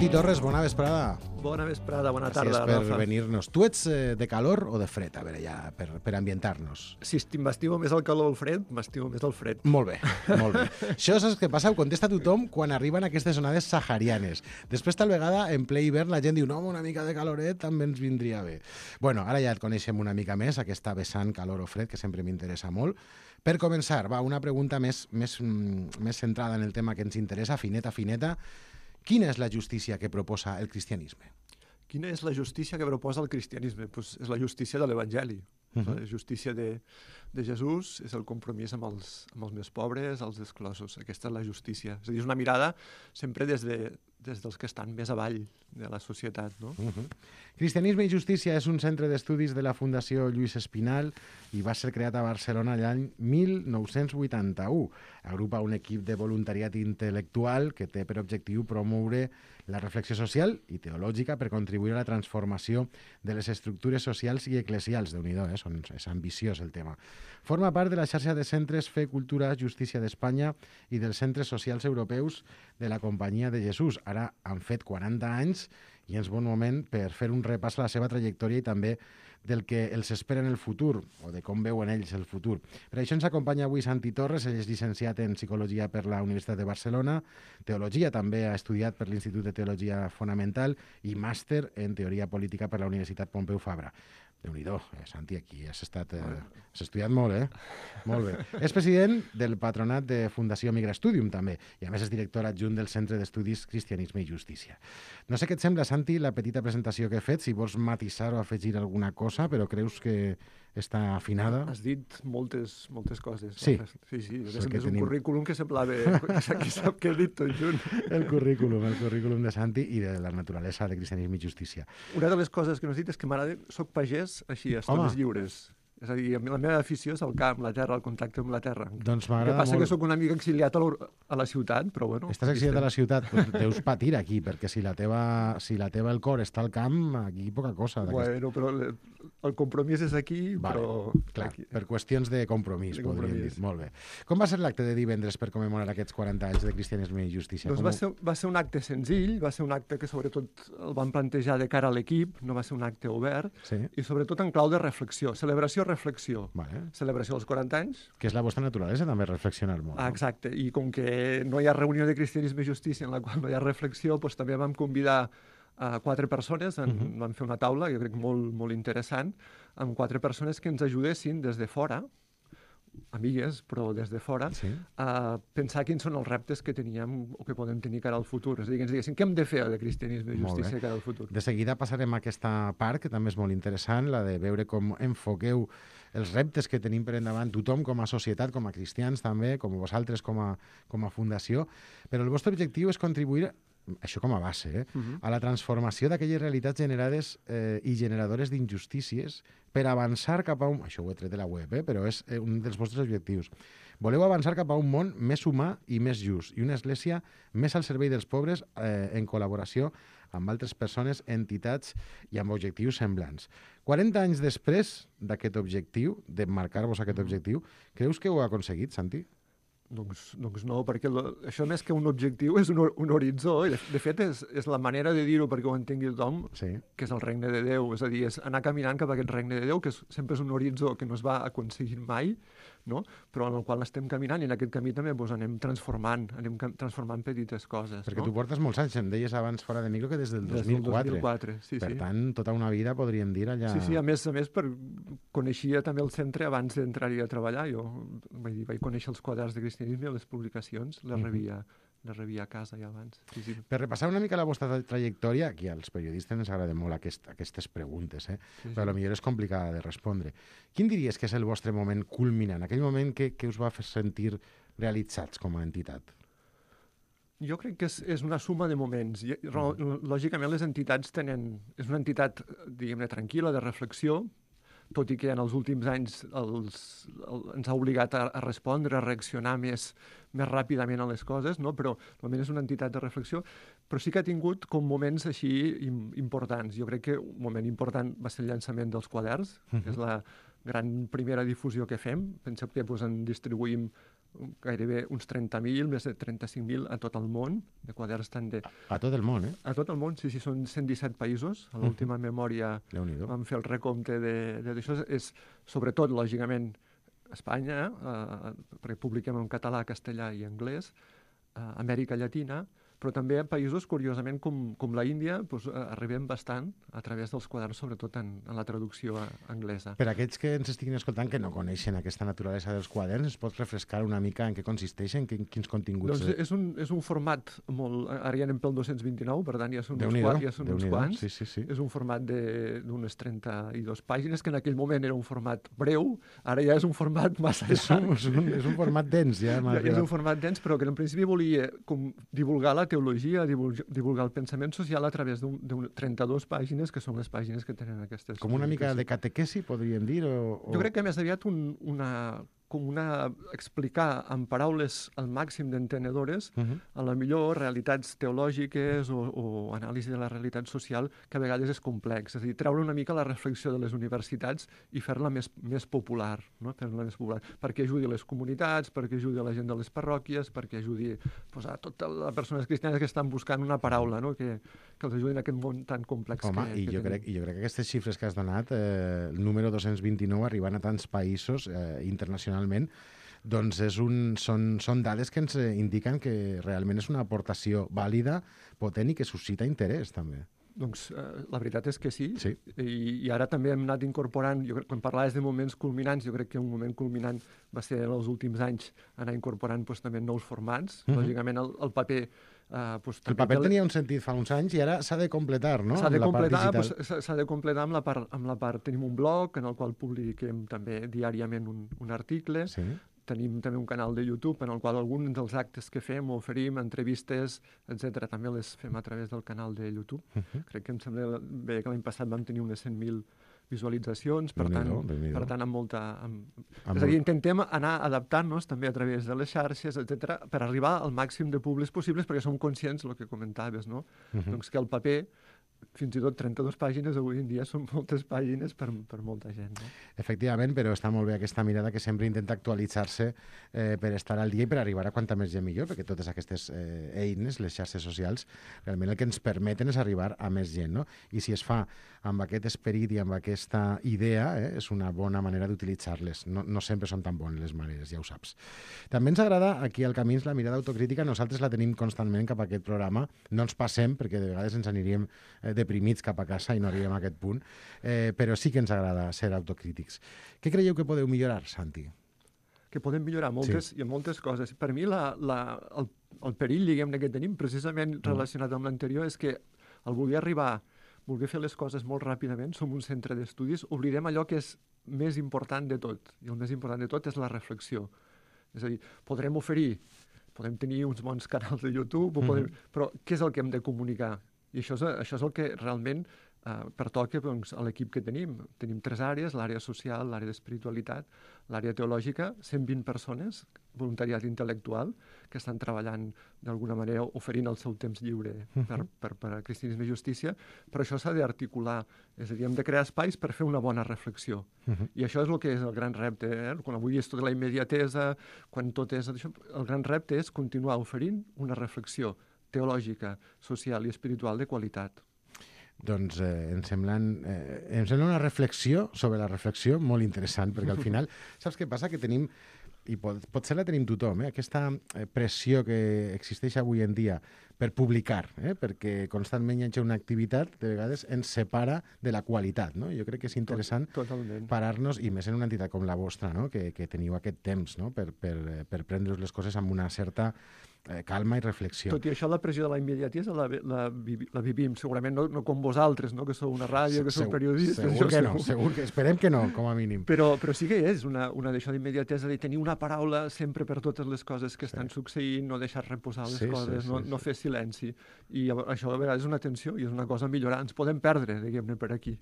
Santi Torres, bona vesprada. Bona vesprada, bona tarda, Gràcies per Rafa. venir-nos. Tu ets de calor o de fred? A veure, ja, per ambientar-nos. Si m'estimo més el calor o el fred, m'estimo més el fred. Molt bé, molt bé. Això saps què passa? Ho contesta tothom quan arriben aquestes onades saharianes. Després, tal vegada, en ple hivern, la gent diu no, una mica de caloret també ens vindria bé. Bueno, ara ja et coneixem una mica més, aquesta vessant calor o fred, que sempre m'interessa molt. Per començar, va, una pregunta més centrada en el tema que ens interessa, fineta. Quina és la justícia que proposa el cristianisme? Quina és la justícia que proposa el cristianisme? Pues és la justícia de l'Evangeli. La justícia de Jesús és el compromís amb els més pobres, els exclosos. Aquesta és la justícia. És a dir, és una mirada sempre des dels que estan més avall de la societat, no? Cristianisme i Justícia és un centre d'estudis de la Fundació Lluís Espinal i va ser creat a Barcelona l'any 1981. Agrupa un equip de voluntariat intel·lectual que té per objectiu promoure la reflexió social i teològica per contribuir a la transformació de les estructures socials i eclesials. Déu-n'hi-do, és ambiciós el tema. Forma part de la xarxa de centres Fe, Cultura, Justícia d'Espanya i dels centres socials europeus de la Companyia de Jesús. Ara han fet 40 anys i és bon moment per fer un repàs a la seva trajectòria i també del que els espera en el futur, o de com veuen ells el futur. Per això ens acompanya avui Santi Torres, ell és llicenciat en Psicologia per la Universitat de Barcelona, Teologia també ha estudiat per l'Institut de Teologia Fonamental i màster en Teoria Política per la Universitat Pompeu Fabra. Déu-n'hi-do, Santi, aquí has estudiat molt, Molt bé. És president del patronat de Fundació Migra Studium, també, i a més és director adjunt del Centre d'Estudis Cristianisme i Justícia. No sé què et sembla, Santi, la petita presentació que he fet, si vols matisar o afegir alguna cosa, però creus que està afinada? Has dit moltes coses. Sí. Sí. És un currículum que semblava que sap que he dit tot junt. El currículum de Santi i de la naturalesa de Cristianisme i Justícia. Una de les coses que no has dit és que m'agrada, soc pagès així, a estones lliures. És a dir, la meva afició és el camp, la terra, el contacte amb la terra. Doncs m'agrada molt. El que passa que sóc una mica exiliat a la ciutat, però bueno. Estàs exiliat a la ciutat, doncs deus patir aquí, perquè si la teva el cor està al camp, aquí poca cosa. Bueno, però el compromís és aquí, vale, però... Clar, aquí. per qüestions de compromís, podríem dir. Molt bé. Com va ser l'acte de divendres per commemorar aquests 40 anys de Cristianisme i Justícia? Doncs va ser un acte senzill, va ser un acte que sobretot el van plantejar de cara a l'equip, no va ser un acte obert, sí. I sobretot en clau de reflexió, reflexió. Vale. Celebració dels 40 anys. Que és la vostra naturalesa, també, reflexionar molt. Exacte, i com que no hi ha reunió de cristianisme i justícia en la qual no hi ha reflexió, doncs també vam convidar a 4 persones, vam fer una taula, jo crec molt interessant, amb 4 persones que ens ajudessin des de fora, amigues, però des de fora, sí. A pensar quins són els reptes que teníem o que podem tenir cara al futur. És a dir, que ens diguessin què hem de fer de cristianisme i justícia cara al futur. De seguida passarem a aquesta part, que també és molt interessant, la de veure com enfoqueu els reptes que tenim per endavant tothom com a societat, com a cristians també, com vosaltres com a fundació, però el vostre objectiu és contribuir, això com a base, a la transformació d'aquelles realitats generades i generadores d'injustícies per avançar cap a un... Això ho he tret de la web, però és un dels vostres objectius. Voleu avançar cap a un món més humà i més just, i una església més al servei dels pobres en col·laboració amb altres persones, entitats i amb objectius semblants. 40 anys després d'aquest objectiu, de marcar-vos aquest objectiu, creus que ho ha aconseguit, Santi? Doncs no, perquè això més que un objectiu és un horitzó, i de fet és la manera de dir-ho perquè ho entengui tothom, sí. Que és el regne de Déu, és a dir, és anar caminant cap a aquest regne de Déu, que sempre és un horitzó que no es va aconseguir mai, no? Però en el qual estem caminant i en aquest camí també anem transformant petites coses. Perquè no? tu portes molts anys, em deies abans fora de micro que des del 2004. 2004, sí. Per tant, tota una vida podríem dir allà... Sí, a més coneixia també el centre abans d'entrar-hi a treballar. Jo vaig conèixer els quaderns de cristianisme, les publicacions, les rebia a casa ja abans. Sí. Per repassar una mica la vostra trajectòria, aquí als periodistes ens agrada molt aquestes preguntes, però potser és complicada de respondre. Quin diries que és el vostre moment culminant, aquell moment que us va fer sentir realitzats com a entitat? Jo crec que és una suma de moments. Lògicament les entitats és una entitat, diguem-ne, tranquil·la, de reflexió, tot i que en els últims anys ens ha obligat a respondre, a reaccionar més ràpidament a les coses, no? Però normalment és una entitat de reflexió, però sí que ha tingut com moments així importants. Jo crec que un moment important va ser el llançament dels quaderns, que és la gran primera difusió que fem. Penseu que en distribuïm gairebé uns 30.000, més de 35.000 a tot el món, de quaderns tant de... A tot el món, eh? A tot el món, sí, són 117 països. A l'última memòria vam fer el recompte d'això. És, sobretot, lògicament, Espanya, perquè publiquem en català, castellà i anglès, Amèrica Llatina, però també a països, curiosament, com la Índia, doncs, arribem bastant a través dels quaderns, sobretot en la traducció anglesa. Per aquells que ens estiguin escoltant que no coneixen aquesta naturalesa dels quaderns, es pot refrescar una mica en què consisteixen, quins continguts... Doncs és un format molt... Ara ja anem pel 229, per tant ja són uns quants. Sí. És un format d'unes 32 pàgines, que en aquell moment era un format breu, ara ja és un format massa llarg. És un format dens, ja. És un format dens, però que en principi volia divulgar la teologia, divulgar el pensament social a través d'un 32 pàgines, que són les pàgines que tenen aquestes... Com una mica de catequesi, podríem dir? Jo crec que més aviat explicar en paraules al màxim d'entenedores a la millor realitats teològiques o anàlisi de la realitat social, que a vegades és complex. És a dir, treure una mica la reflexió de les universitats i fer-la més popular, no? Fer-la més popular, perquè ajudi les comunitats, perquè ajudi a la gent de les parròquies, perquè ajudi a totes les persones cristianes que estan buscant una paraula, no? que els ajudi en aquest món tan complex. Home, jo crec que aquestes xifres que has donat, el número 229 arribant a tants països internacionalment, doncs són dades que ens indiquen que realment és una aportació vàlida, potent i que suscita interès, també. Doncs la veritat és que sí. I ara també hem anat incorporant, quan parlaves de moments culminants, jo crec que un moment culminant va ser en els últims anys anar incorporant també nous formats. Lògicament el paper... El paper tenia un sentit fa uns anys i ara s'ha de completar, no? S'ha de completar amb la part... Tenim un blog en el qual publiquem també diàriament un article. Tenim també un canal de YouTube en el qual alguns dels actes que fem, oferim, entrevistes, etc. també les fem a través del canal de YouTube. Crec que em sembla bé que l'any passat vam tenir unes 100.000 visualitzacions, per tant amb molta... És a dir, intentem anar adaptant-nos també a través de les xarxes, etc., per arribar al màxim de públics possibles, perquè som conscients, el que comentaves, no? Doncs que el paper, fins i tot 32 pàgines avui en dia són moltes pàgines per molta gent. No? Efectivament, però està molt bé aquesta mirada que sempre intenta actualitzar-se per estar al dia i per arribar a quanta més gent millor, perquè totes aquestes eines, les xarxes socials, realment el que ens permeten és arribar a més gent. No? I si es fa amb aquest esperit i amb aquesta idea, és una bona manera d'utilitzar-les. No sempre són tan bones les maneres, ja ho saps. També ens agrada aquí al Camins la mirada autocrítica, nosaltres la tenim constantment cap a aquest programa, no ens passem perquè de vegades ens aniríem deprimits cap a casa i no arribem a aquest punt, però sí que ens agrada ser autocrítics. Què creieu que podeu millorar, Santi? Que podem millorar moltes coses. Per mi el perill, diguem-ne, que tenim precisament relacionat amb l'anterior és que al voler fer les coses molt ràpidament, som un centre d'estudis, oblidem allò que és més important de tot. I el més important de tot és la reflexió. És a dir, podem tenir uns bons canals de YouTube, però què és el que hem de comunicar? I això és el que realment pertoca a l'equip que tenim. Tenim 3 àrees, l'àrea social, l'àrea d'espiritualitat, l'àrea teològica, 120 persones, voluntariat intel·lectual, que estan treballant d'alguna manera oferint el seu temps lliure per a cristianisme i justícia, però això s'ha d'articular. És a dir, hem de crear espais per fer una bona reflexió. I això és el que és el gran repte. Quan avui és tota la immediatesa, quan tot és això, el gran repte és continuar oferint una reflexió teològica, social i espiritual de qualitat. Doncs em sembla una reflexió sobre la reflexió molt interessant, perquè al final, saps què passa? Que tenim, i potser la tenim tothom, aquesta pressió que existeix avui en dia per publicar, perquè constantment hi ha una activitat, de vegades ens separa de la qualitat. No? Jo crec que és interessant parar-nos, i més en una entitat com la vostra, no? que teniu aquest temps, no? per prendre les coses amb una certa calma i reflexió. Tot i això, la pressió de la immediatesa la vivim, segurament no com vosaltres, no? que sou una ràdio, que sou periodistes. Segur que esperem que no, com a mínim. Però sí que és una d'això d'immediatesa, de tenir una paraula sempre per totes les coses que estan succeint, no deixar reposar les coses, no fer silenci. I això a vegades és una tensió i és una cosa a millorar. Ens podem perdre, diguem-ne, per aquí.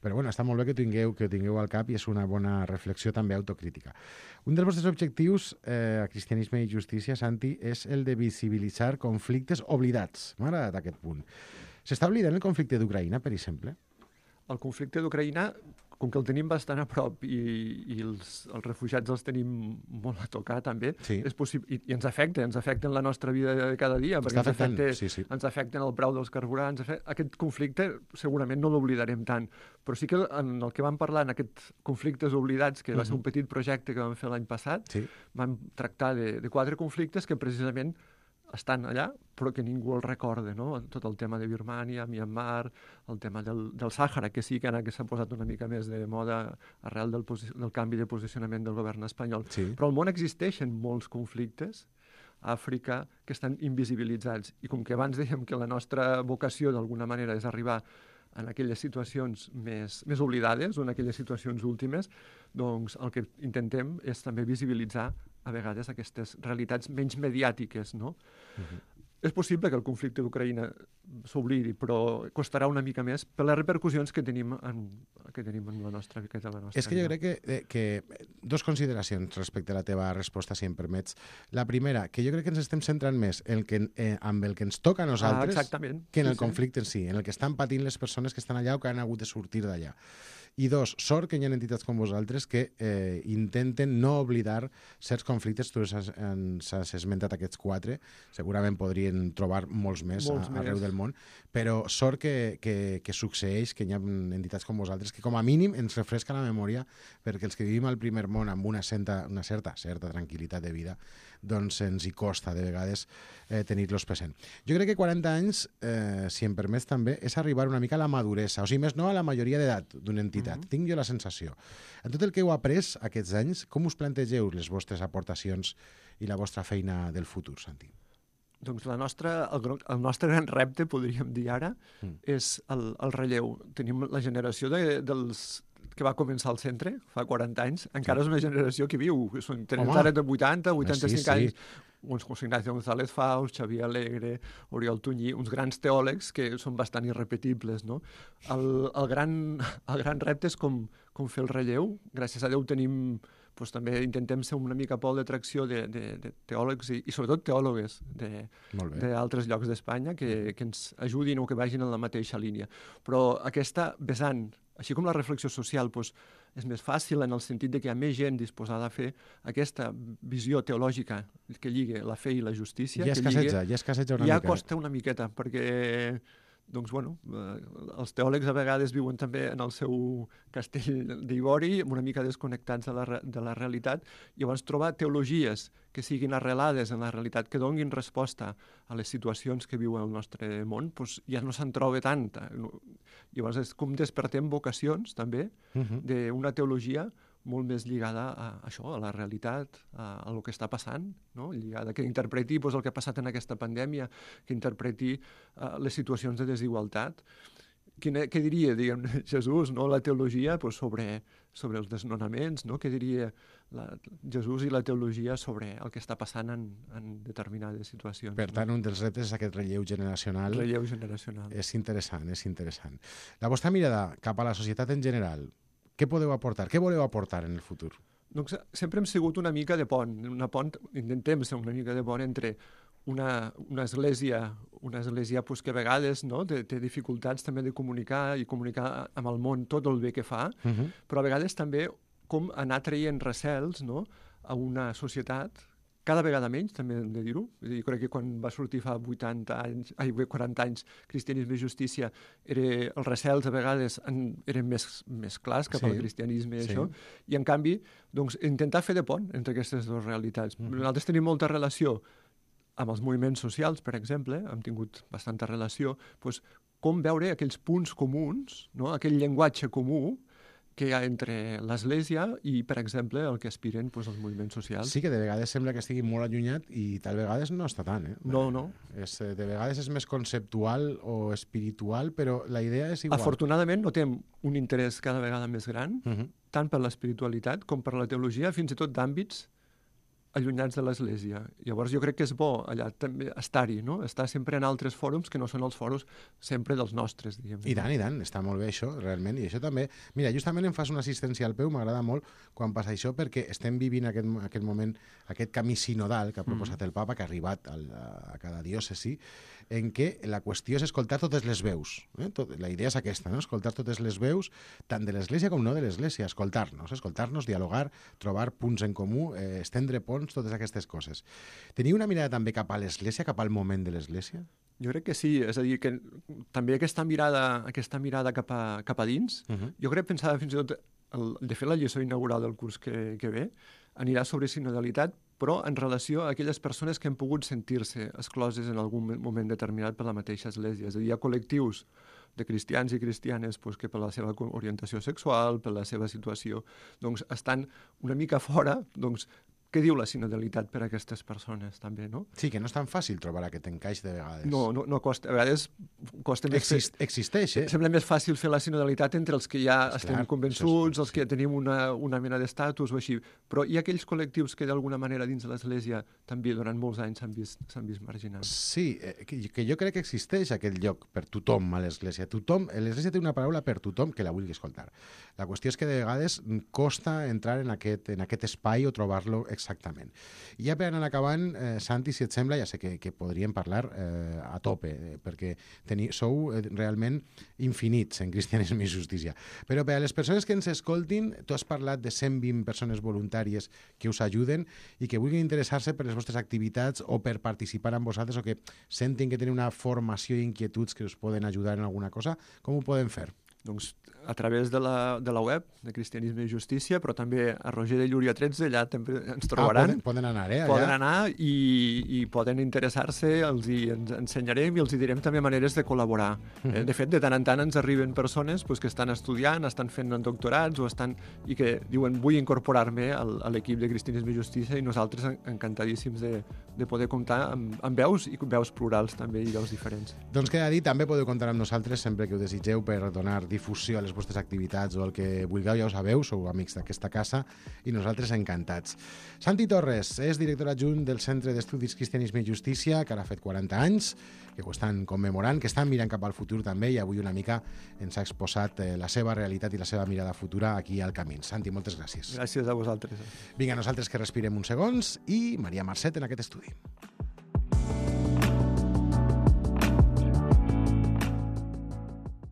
Però bueno, està molt bé que tingueu al cap i és una bona reflexió també autocrítica. Un dels vostres objectius a Cristianisme i Justícia, Santi, és el de visibilitzar conflictes oblidats. M'ha agradat aquest punt. S'està oblidant el conflicte d'Ucraïna, per exemple? El conflicte d'Ucraïna com que el tenim bastant a prop i els refugiats els tenim molt a tocar també, és possible, i ens afecten la nostra vida de cada dia, perquè ens afecten el preu dels carburants. Aquest conflicte segurament no l'oblidarem tant, però sí que en el que vam parlar, en aquests conflictes oblidats, que va ser un petit projecte que vam fer l'any passat, vam tractar de 4 conflictes que precisament estan allà, però que ningú el recorda, no? Tot el tema de Birmània, Myanmar, el tema del Sàhara, que sí que ara s'ha posat una mica més de moda arrel del canvi de posicionament del govern espanyol. Però al món existeixen molts conflictes a Àfrica que estan invisibilitzats. I com que abans dèiem que la nostra vocació d'alguna manera és arribar en aquelles situacions més oblidades o en aquelles situacions últimes, doncs el que intentem és també visibilitzar a vegades aquestes realitats menys mediàtiques, no? És possible que el conflicte d'Ucraïna s'oblidi, però costarà una mica més per les repercussions que tenim en la nostra vida. És que jo crec que 2 consideracions respecte a la teva resposta, si em permets. La primera, que jo crec que ens estem centrant més amb el que ens toca a nosaltres que en el conflicte en si, en el que estan patint les persones que estan allà o que han hagut de sortir d'allà. I 2, sort que hi ha entitats com vosaltres que intenten no oblidar certs conflictes. Tu ens has esmentat aquests 4, segurament podrien trobar molts més arreu del món, però sort que succeeix, que hi ha entitats com vosaltres que com a mínim ens refresca la memòria, perquè els que vivim al primer món amb una certa tranquil·litat de vida, doncs ens hi costa de vegades tenir-los present. Jo crec que 40 anys, si em permets també, és arribar una mica a la maduresa, o sigui, més no a la majoria d'edat d'una entitat. Tinc jo la sensació. En tot el que heu après aquests anys, com us plantegeu les vostres aportacions i la vostra feina del futur, Santi? Doncs el nostre gran repte, podríem dir ara, és el relleu. Tenim la generació dels que va començar al centre fa 40 anys, encara és una generació que viu. Tenen ara de 80, 85 anys. Uns José Ignacio González Faus, Xavier Alegre, Oriol Tunyí, uns grans teòlegs que són bastant irrepetibles, no? El gran repte és com fer el relleu. Gràcies a Déu tenim... també intentem ser una mica pol d'atracció de teòlegs i sobretot teòlogues d'altres llocs d'Espanya que ens ajudin o que vagin en la mateixa línia. Però aquesta vessant, així com la reflexió social, és més fàcil en el sentit de que hi ha més gent disposada a fer aquesta visió teològica que lligue la fe i la justícia. Ja escasseja una mica. Ja costa una miqueta, perquè... Doncs, els teòlegs a vegades viuen també en el seu castell d'ivori, una mica desconnectats de la realitat, i llavors trobar teologies que siguin arrelades en la realitat, que donin resposta a les situacions que viu el nostre món, ja no se'n troba tanta. Llavors és com despertem vocacions, també, d'una teologia molt més lligada a això, a la realitat, a el que està passant, no? Lligada, que interpreti el que ha passat en aquesta pandèmia, que interpreti les situacions de desigualtat. Què diria, diguem, Jesús, no? La teologia sobre els desnonaments, no? Què diria Jesús i la teologia sobre el que està passant en determinades situacions? Per tant, un dels reptes és aquest relleu generacional. Relleu generacional. És interessant. La vostra mirada cap a la societat en general, què podeu aportar? Què voleu aportar en el futur? Doncs sempre hem sigut una mica de pont. Intentem ser una mica de pont entre una església que a vegades té dificultats també de comunicar amb el món tot el bé que fa, però a vegades també com anar traient recels a una societat cada vegada menys, també hem de dir-ho. Jo crec que quan va sortir fa 40 anys Cristianisme i Justícia, els recels a vegades eren més clars cap al cristianisme i això, i en canvi intentar fer de pont entre aquestes dues realitats. Nosaltres tenim molta relació amb els moviments socials, per exemple, hem tingut bastanta relació, com veure aquells punts comuns, aquell llenguatge comú que hi ha entre l'Església i, per exemple, el que aspiren els moviments socials. Sí, que de vegades sembla que estigui molt allunyat i tal vegades no està tant. No. De vegades és més conceptual o espiritual, però la idea és igual. Afortunadament notem un interès cada vegada més gran, tant per l'espiritualitat com per la teologia, fins i tot d'àmbits allunyats de l'Església. Llavors jo crec que és bo allà també estar-hi, no? Estar sempre en altres fòrums que no són els fòrums sempre dels nostres, diguem. I tant, està molt bé això, realment, i això també... Mira, justament em fas una assistència al peu, m'agrada molt quan passa això, perquè estem vivint aquest moment, aquest camí sinodal que ha proposat el papa, que ha arribat a cada diòcesi, en què la qüestió és escoltar totes les veus. La idea és aquesta, no? Escoltar totes les veus, tant de l'Església com no de l'Església, escoltar-nos, dialogar, trobar punts en comú, estendre ponts, totes aquestes coses. Teniu una mirada també cap a l'Església, cap al moment de l'Església? Jo crec que sí, és a dir, que també aquesta mirada cap a dins, jo crec pensava fins i tot, de fer la lliçó inaugural del curs que ve, anirà sobre sinodalitat, però en relació a aquelles persones que han pogut sentir-se excloses en algun moment determinat per la mateixa Església. És a dir, hi ha col·lectius de cristians i cristianes que per la seva orientació sexual, per la seva situació, estan una mica fora, què diu la sinodalitat per a aquestes persones, també, no? Sí, que no és tan fàcil trobar aquest encaix de vegades. No costa. A vegades costa més... Existeix, eh? Sembla més fàcil fer la sinodalitat entre els que ja estem convençuts, els que ja tenim una mena d'estatus o així. Però hi ha aquells col·lectius que d'alguna manera dins de l'Església també durant molts anys s'han vist marginats. Sí, que jo crec que existeix aquest lloc per tothom a l'Església. L'Església té una paraula per tothom que la vulgui escoltar. La qüestió és que de vegades costa entrar en aquest espai o trobar-lo exactament. I ja per anar acabant, Santi, si et sembla, ja sé que podríem parlar a tope, perquè sou realment infinits en Cristianisme i Justícia. Però per a les persones que ens escoltin, tu has parlat de 120 persones voluntàries que us ajuden i que vulguin interessar-se per les vostres activitats o per participar amb vosaltres o que sentin que tenen una formació i inquietuds que us poden ajudar en alguna cosa, com ho poden fer? Doncs a través de la web de Cristianisme i Justícia, però també a Roger de Llúria 13, allà també ens trobaran. Poden anar, allà? Poden anar i poden interessar-se, ens ensenyarem i els direm també maneres de col·laborar. De fet, de tant en tant ens arriben persones que estan estudiant, estan fent doctorats i que diuen vull incorporar-me a l'equip de Cristianisme i Justícia i nosaltres encantadíssims de poder comptar amb veus i veus plurals també i veus diferents. Doncs queda dit, també podeu comptar amb nosaltres sempre que ho desitgeu per donar difusió a les vostres activitats o el que vulgueu, ja ho sabeu, sou amics d'aquesta casa i nosaltres encantats. Santi Torres és director adjunt del Centre d'Estudis Cristianisme i Justícia, que ara ha fet 40 anys, que ho estan commemorant, que estan mirant cap al futur també i avui una mica ens ha exposat la seva realitat i la seva mirada futura aquí al Camí. Santi, moltes gràcies. Gràcies a vosaltres. Vinga, nosaltres que respirem uns segons i Maria Marcet en aquest estudi.